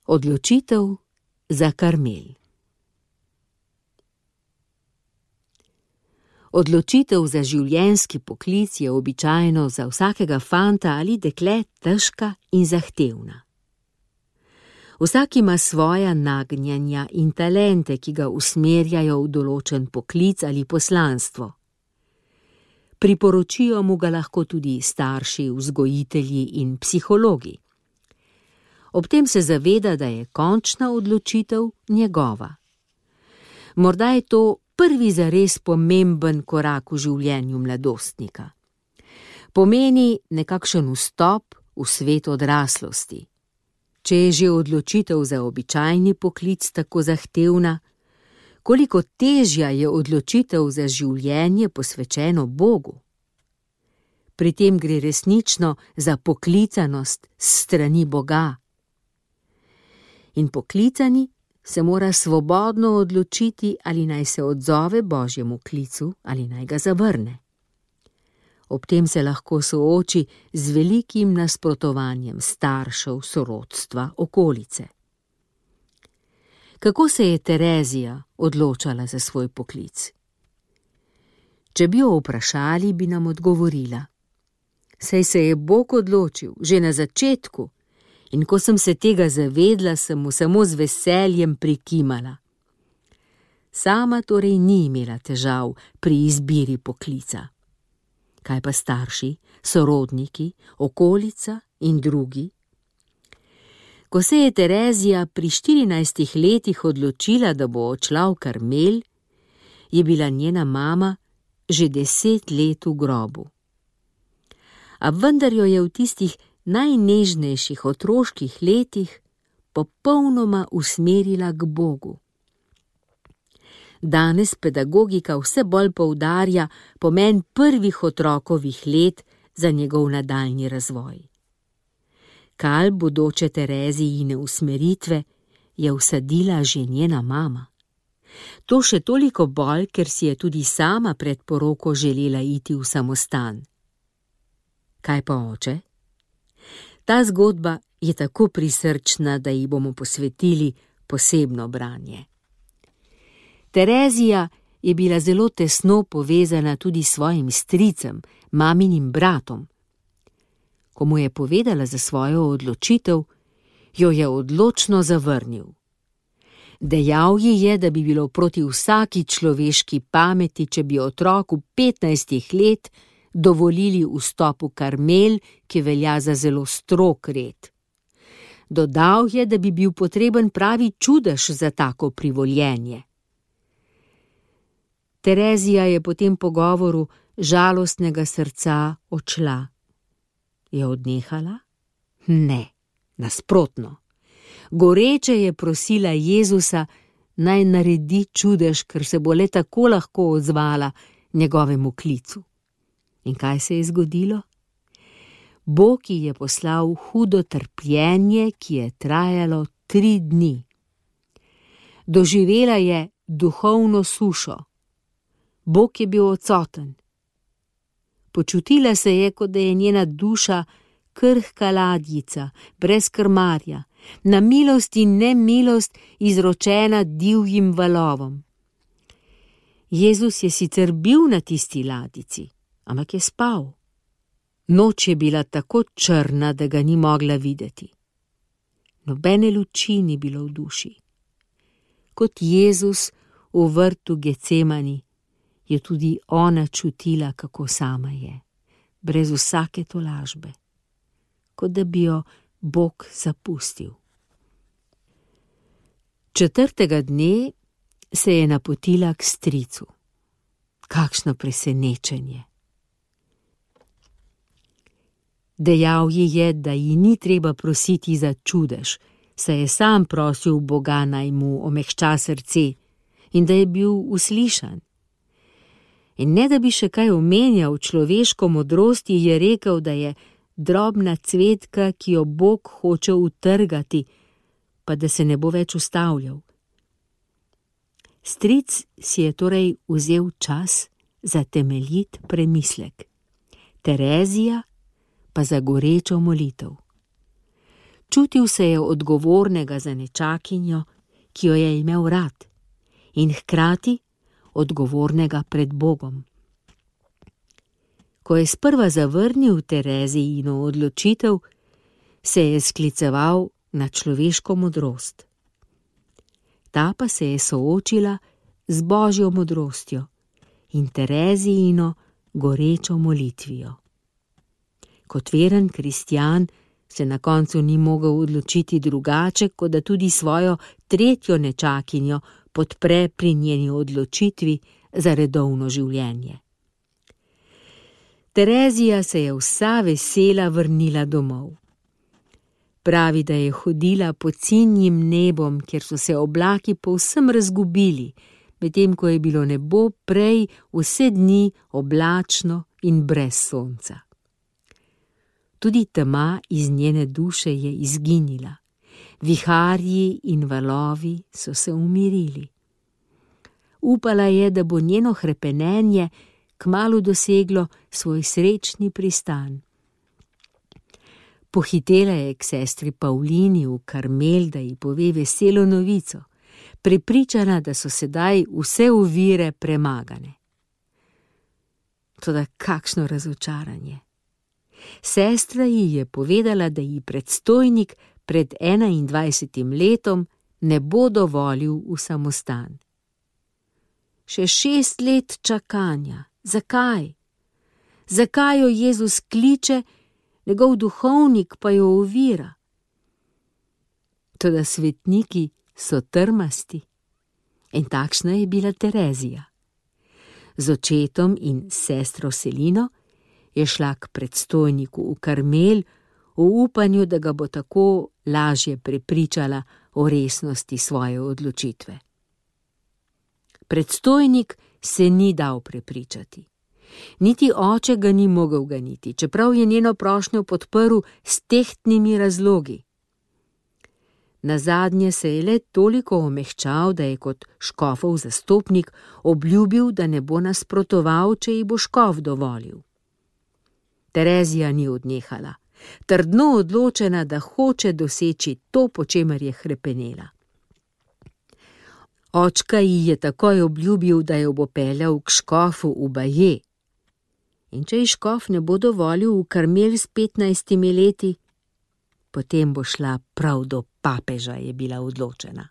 Odločitev za Karmel. Odločitev za življenjski poklic je običajno za vsakega fanta ali dekle težka in zahtevna. Vsak ima svoja nagnjenja in talente, ki ga usmerjajo v določen poklic ali poslanstvo. Priporočijo mu ga lahko tudi starši, vzgojitelji in psihologi. Ob tem se zaveda, da je končna odločitev njegova. Morda je to prvi zares pomemben korak v življenju mladostnika. Pomeni nekakšen vstop v svet odraslosti. Če je že odločitev za običajni poklic tako zahtevna, koliko težja je odločitev za življenje posvečeno Bogu. Pri tem gre resnično za poklicanost s strani Boga. In poklicani se mora svobodno odločiti, ali naj se odzove Božjemu klicu ali naj ga zavrne. Ob tem se lahko sooči z velikim nasprotovanjem staršev, sorodstva, okolice. Kako se je Terezija odločala za svoj poklic? Če bi jo vprašali, bi nam odgovorila: saj se je Bog odločil že na začetku, in ko sem se tega zavedla, sem mu samo z veseljem prikimala. Sama torej ni imela težav pri izbiri poklica. Kaj pa starši, sorodniki, okolica in drugi? Ko se je Terezija pri 14 letih odločila, da bo odšla v Karmel, je bila njena mama že 10 let v grobu. A vendar jo je v tistih najnežnejših otroških letih popolnoma usmerila k Bogu. Danes pedagogika vse bolj poudarja pomen prvih otrokovih let za njegov nadaljnji razvoj. Kal bodoče Terezijine usmeritve je vsadila že njena mama. To še toliko bolj, ker si je tudi sama pred poroko želela iti v samostan. Kaj pa oče? Ta zgodba je tako prisrčna, da ji bomo posvetili posebno branje. Terezija je bila zelo tesno povezana tudi s svojim stricem, maminim bratom. Ko mu je povedala za svojo odločitev, jo je odločno zavrnil. Dejal ji je, da bi bilo proti vsaki človeški pameti, če bi otroku 15 let dovolili vstop v Karmel, ki velja za zelo strog red. Dodal je, da bi bil potreben pravi čudež za tako privoljenje. Terezija je po tem pogovoru žalostnega srca odšla. Je odnehala? Ne, nasprotno. Goreče je prosila Jezusa, naj naredi čudež, ker se bo le tako lahko odzvala njegovemu klicu. In kaj se je zgodilo? Bog ji je poslal hudo trpljenje, ki je trajalo 3 dni. Doživela je duhovno sušo. Bog je bil odsoten. Počutila se je, kot da je njena duša krhka ladjica, brez krmarja, na milost in nemilost izročena divjim valovom. Jezus je sicer bil na tisti ladjici, ampak je spal. Noč je bila tako črna, da ga ni mogla videti. Nobene luči ni bilo v duši. Kot Jezus v vrtu Gecemani je tudi ona čutila, kako sama je, brez vsake tolažbe, kot da bi jo Bog zapustil. 4. dne se je napotila k stricu. Kakšno presenečenje! Dejal ji je, da ji ni treba prositi za čudež, saj je sam prosil Boga, naj mu omehča srce, in da je bil uslišan. In ne da bi še kaj omenjal človeško modrosti, je rekel, da je drobna cvetka, ki jo Bog hoče utrgati, pa da se ne bo več ustavljal. Stric si je torej vzel čas za temeljit premislek. Terezija pa za gorečo molitev. Čutil se je odgovornega za nečakinjo, ki jo je imel rad, in hkrati odgovornega pred Bogom. Ko je sprva zavrnil Terezijino odločitev, se je skliceval na človeško modrost. Ta pa se je soočila z Božjo modrostjo in Terezijino gorečo molitvijo. Kot veren kristjan se na koncu ni mogel odločiti drugače, kot da tudi svojo tretjo nečakinjo podpre pri njeni odločitvi za redovno življenje. Terezija se je vsa vesela vrnila domov. Pravi, da je hodila pod sinjim nebom, kjer so se oblaki povsem razgubili, medtem ko je bilo nebo prej vse dni oblačno in brez sonca. Tudi tema iz njene duše je izginila. Viharji in valovi so se umirili. Upala je, da bo njeno hrepenenje kmalu doseglo svoj srečni pristan. Pohitela je k sestri Pavlini v Karmel, da ji pove veselo novico, prepričana, da so sedaj vse ovire premagane. Toda kakšno razočaranje! Sestra ji je povedala, da ji predstojnik pred 21 letom ne bo dovolil v samostan. Še 6 let čakanja. Zakaj? Zakaj jo Jezus kliče, njegov duhovnik pa jo ovira? Toda svetniki so trmasti. In takšna je bila Terezija. Z očetom in sestro Selino je šla k predstojniku v Karmel v upanju, da ga bo tako lažje prepričala o resnosti svoje odločitve. Predstojnik se ni dal prepričati. Niti oče ga ni mogel ganiti, čeprav je njeno prošnjo podprl s tehtnimi razlogi. Nazadnje se je le toliko omehčal, da je kot škofov zastopnik obljubil, da ne bo nasprotoval, če ji bo škof dovolil. Terezija ni odnehala, trdno odločena, da hoče doseči to, po čemer je hrepenela. Očka ji je takoj obljubil, da jo bo peljal k škofu v Baje. In če ji škof ne bo dovolil v Karmel s 15 leti, potem bo šla prav do papeža, je bila odločena.